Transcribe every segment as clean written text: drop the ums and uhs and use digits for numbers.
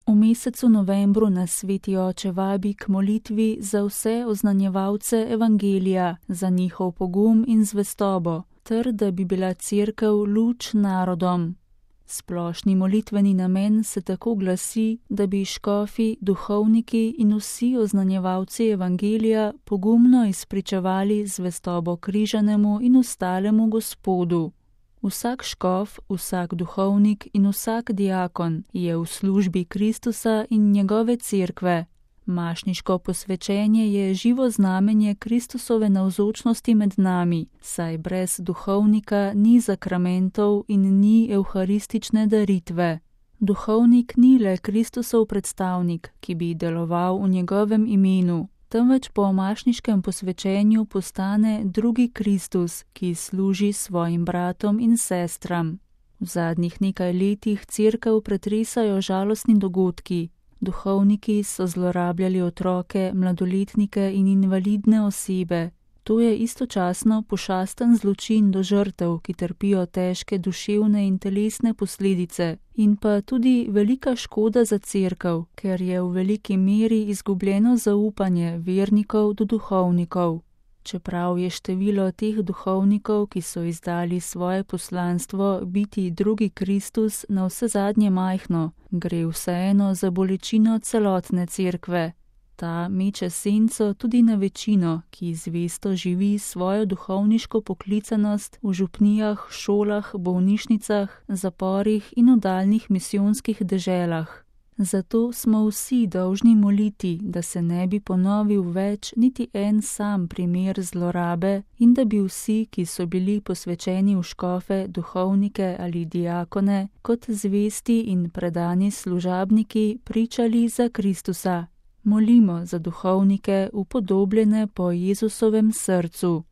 V mesecu novembru nas Sveti Oče vabi k molitvi za vse oznanjevalce evangelija, za njihov pogum in zvestobo, ter da bi bila Cerkev luč narodom. Splošni molitveni namen se tako glasi, da bi škofi, duhovniki in vsi oznanjevalci evangelija pogumno izpričevali zvestobo križanemu in ostalemu Gospodu. Vsak škof, vsak duhovnik in vsak diakon je v službi Kristusa in njegove cerkve. Mašniško posvečenje je živo znamenje Kristusove navzočnosti med nami, saj brez duhovnika ni zakramentov in ni evharistične daritve. Duhovnik ni le Kristusov predstavnik, ki bi deloval v njegovem imenu, temveč po mašniškem posvečenju postane drugi Kristus, ki služi svojim bratom in sestram. V zadnjih nekaj letih Cerkev pretresajo žalostni dogodki. Duhovniki so zlorabljali otroke, mladoletnike in invalidne osebe. To je istočasno pošasten zločin do žrtev, ki trpijo težke duševne in telesne posledice, in pa tudi velika škoda za Cerkev, ker je v veliki meri izgubljeno zaupanje vernikov do duhovnikov. Čeprav je število teh duhovnikov, ki so izdali svoje poslanstvo biti drugi Kristus, navsezadnje majhno, gre vseeno za bolečino celotne Cerkve. Ta meče senco tudi na večino, ki zvesto živi svojo duhovniško poklicanost v župnijah, šolah, bolnišnicah, zaporih in oddaljenih misijonskih deželah. Zato smo vsi dolžni moliti, da se ne bi ponovil več niti en sam primer zlorabe in da bi vsi, ki so bili posvečeni v škofe, duhovnike ali diakone, kot zvesti in predani služabniki pričali za Kristusa. Molimo za duhovnike, upodobljene po Jezusovem srcu.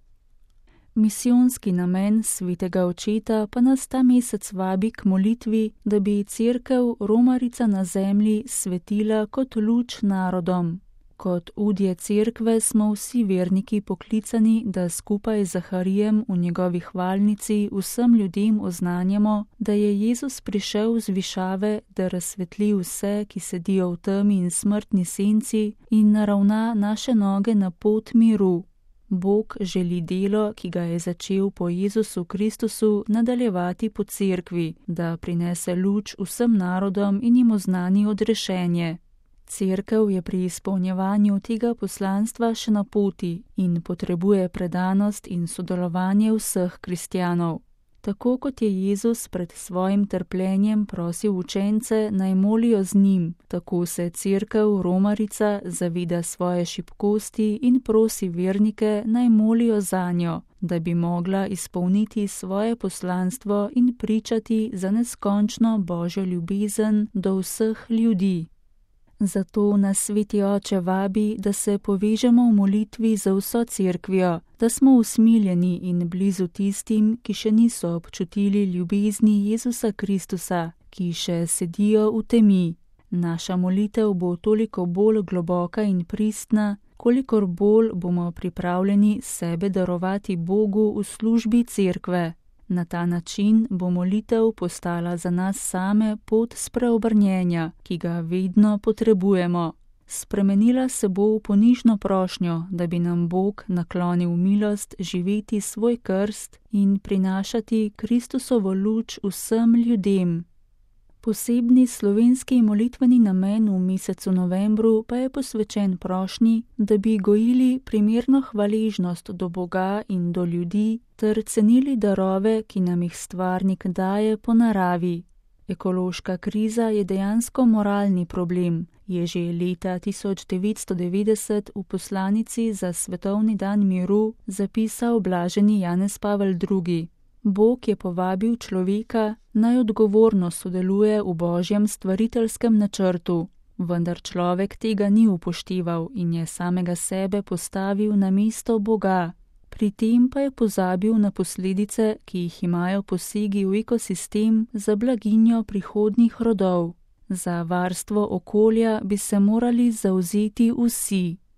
Misijonski namen Svetega Očeta pa nas ta mesec vabi k molitvi, da bi Cerkev, romarica na zemlji, svetila kot luč narodom. Kot udje Cerkve smo vsi verniki poklicani, da skupaj z Zaharijem v njegovi hvalnici vsem ljudem oznanjamo, da je Jezus prišel z višave, da razsvetli vse, ki sedijo v temi in smrtni senci, in naravna naše noge na pot miru. Bog želi delo, ki ga je začel po Jezusu Kristusu, nadaljevati po Cerkvi, da prinese luč vsem narodom in jim oznani odrešenje. Cerkev je pri izpolnjevanju tega poslanstva še na poti in potrebuje predanost in sodelovanje vseh kristjanov. Tako kot je Jezus pred svojim trpljenjem prosil učence, naj molijo z njim, tako se Cerkev, romarica, zaveda svoje šibkosti in prosi vernike, naj molijo zanjo, da bi mogla izpolniti svoje poslanstvo in pričati za neskončno Božjo ljubezen do vseh ljudi. Zato nas Sveti Oče vabi, da se povežemo v molitvi za vso Cerkvijo, da smo usmiljeni in blizu tistim, ki še niso občutili ljubezni Jezusa Kristusa, ki še sedijo v temi. Naša molitev bo toliko bolj globoka in pristna, kolikor bolj bomo pripravljeni sebe darovati Bogu v službi Cerkve. Na ta način bo molitev postala za nas same pot spreobrnjenja, ki ga vedno potrebujemo. Spremenila se bo v ponižno prošnjo, da bi nam Bog naklonil milost živeti svoj krst in prinašati Kristusovo luč vsem ljudem. Posebni slovenski molitveni namen v mesecu novembru pa je posvečen prošnji, da bi gojili primerno hvaležnost do Boga in do ljudi ter cenili darove, ki nam jih Stvarnik daje po naravi. Ekološka kriza je dejansko moralni problem, je že leta 1990 v poslanici za Svetovni dan miru zapisal blaženi Janez Pavel II. Bog je povabil človeka, naj odgovorno sodeluje v Božjem stvariteljskem načrtu, vendar človek tega ni upošteval in je samega sebe postavil na mesto Boga. Pri tem pa je pozabil na posledice, ki jih imajo posegi v ekosistem za blaginjo prihodnjih rodov. Za varstvo okolja bi se morali zavzeti vsi.